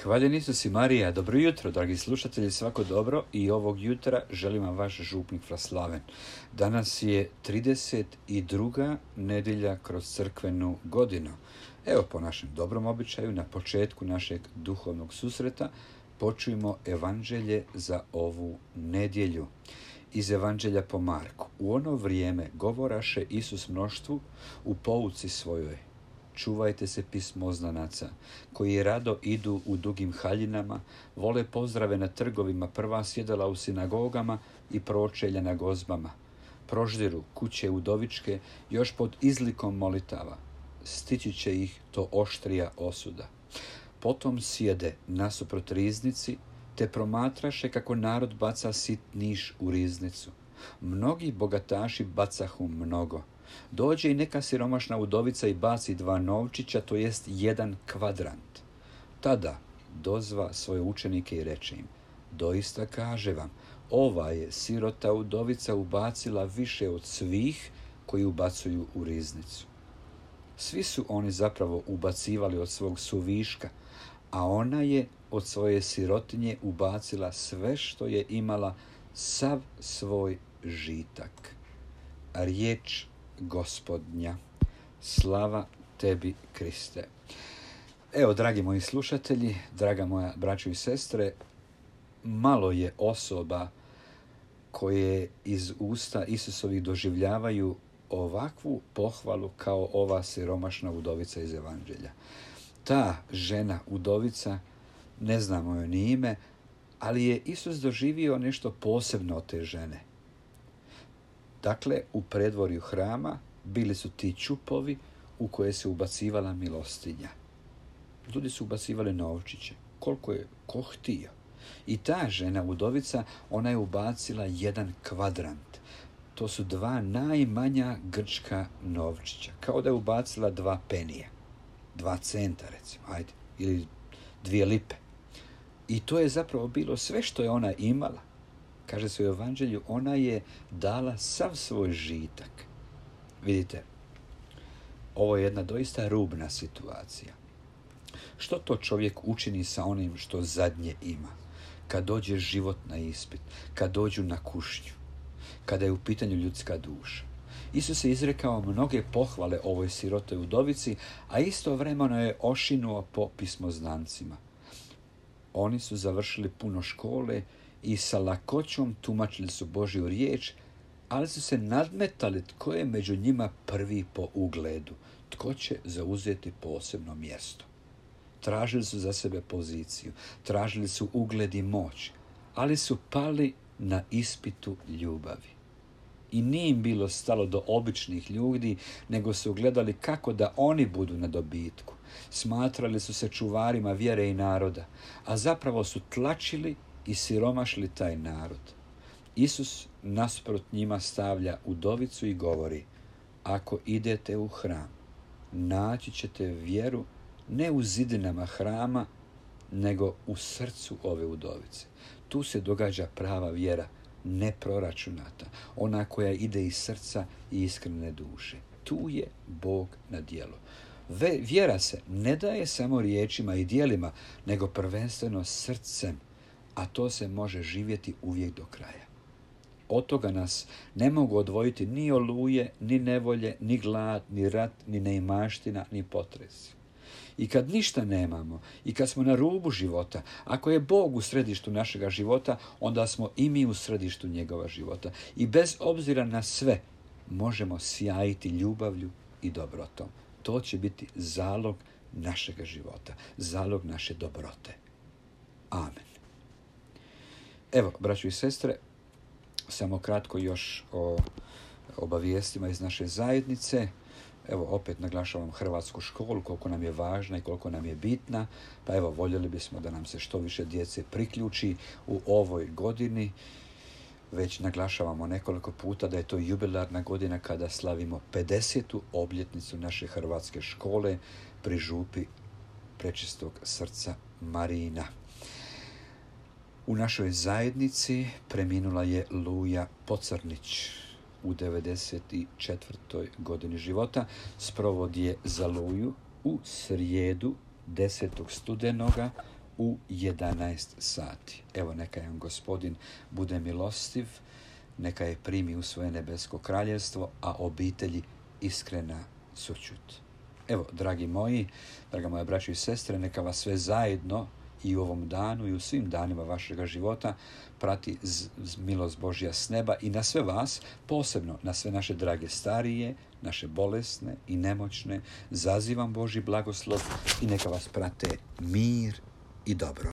Hvaljen Isus i Marija, dobro jutro, dragi slušatelji, svako dobro i ovog jutra želim vam vaš župnik Fraslaven. Danas je 32. nedjelja kroz crkvenu godinu. Evo, po našem dobrom običaju, na početku našeg duhovnog susreta počujemo evanđelje za ovu nedjelju. Iz evanđelja po Marku. U ono vrijeme govoraše Isus mnoštvu u pouci svojoj: čuvajte se pismoznanaca, koji rado idu u dugim haljinama, vole pozdrave na trgovima, prva sjedala u sinagogama i pročelja na gozbama. Proždiru kuće udovičke još pod izlikom molitava. Stići će ih to oštrija osuda. Potom sjede nasuprot riznici, te promatraše kako narod baca sitniš u riznicu. Mnogi bogataši bacahu mnogo. Dođe i neka siromašna udovica i baci 2 novčića, to jest 1 kvadrant. Tada dozva svoje učenike i reče im: doista kaže vam, ova je sirota udovica ubacila više od svih koji ubacuju u riznicu. Svi su oni zapravo ubacivali od svog suviška, a ona je od svoje sirotinje ubacila sve što je imala, sav svoj žitak. Riječ Gospodnja. Slava tebi, Kriste. Evo, dragi moji slušatelji, draga moja braćo i sestre, malo je osoba koje iz usta Isusovih doživljavaju ovakvu pohvalu kao ova siromašna udovica iz evanđelja. Ta žena udovica, ne znamo joj ni ime, ali je Isus doživio nešto posebno od te žene. Dakle, u predvorju hrama bili su ti čupovi u koje se ubacivala milostinja. Ljudi su ubacivali novčiće, koliko je ko htio. I ta žena udovica, ona je ubacila 1 kvadrant. To su 2 najmanja grčka novčića. Kao da je ubacila 2 penije. 2 centa, recimo, ajde, ili 2 lipe. I to je zapravo bilo sve što je ona imala. Kaže se u evanđelju, ona je dala sav svoj žitak. Vidite, ovo je jedna doista rubna situacija. Što to čovjek učini sa onim što zadnje ima? Kad dođe život na ispit, kad dođu na kušnju, kada je u pitanju ljudska duša. Isus je izrekao mnoge pohvale ovoj sirotoj udovici, a istovremeno je ošinuo po pismoznancima. Oni su završili puno škole i sa lakoćom tumačili su Božju riječ, ali su se nadmetali tko je među njima prvi po ugledu, tko će zauzeti posebno mjesto. Tražili su za sebe poziciju, tražili su ugled i moć, ali su pali na ispitu ljubavi. I nije im bilo stalo do običnih ljudi, nego su gledali kako da oni budu na dobitku. Smatrali su se čuvarima vjere i naroda, a zapravo su tlačili i siromašili taj narod. Isus nasprot njima stavlja udovicu i govori: ako idete u hram, naći ćete vjeru ne u zidinama hrama, nego u srcu ove udovice. Tu se događa prava vjera, neproračunata, ona koja ide iz srca i iskrene duše. Tu je Bog na djelu. Vjera se ne daje samo riječima i djelima, nego prvenstveno srcem, a to se može živjeti uvijek do kraja. Od toga nas ne mogu odvojiti ni oluje, ni nevolje, ni glad, ni rat, ni neimaština, ni potresi. I kad ništa nemamo, i kad smo na rubu života, ako je Bog u središtu našega života, onda smo i mi u središtu njegova života. I bez obzira na sve, možemo sjajiti ljubavlju i dobrotom. To će biti zalog našega života, zalog naše dobrote. Amen. Evo, braćo i sestre, samo kratko još o obavijestima iz naše zajednice. Evo, opet naglašavam hrvatsku školu, koliko nam je važna i koliko nam je bitna. Pa evo, voljeli bismo da nam se što više djece priključi u ovoj godini. Već naglašavamo nekoliko puta da je to jubilarna godina kada slavimo 50. obljetnicu naše hrvatske škole pri župi Prečistog srca Marijina. U našoj zajednici preminula je Luja Pocrnić u 94. godini života. Sprovod je za Luju u srijedu 10. studenoga u 11 sati. Evo, neka je Gospodin bude milostiv, neka je primi u svoje nebesko kraljevstvo, a obitelji iskrena sućut. Evo, dragi moji, draga moja braćo i sestre, neka vas sve zajedno i u ovom danu i u svim danima vašega života prati milost Božja s neba i na sve vas, posebno na sve naše drage starije, naše bolesne i nemoćne, zazivam Božji blagoslov i neka vas prate mir i dobro.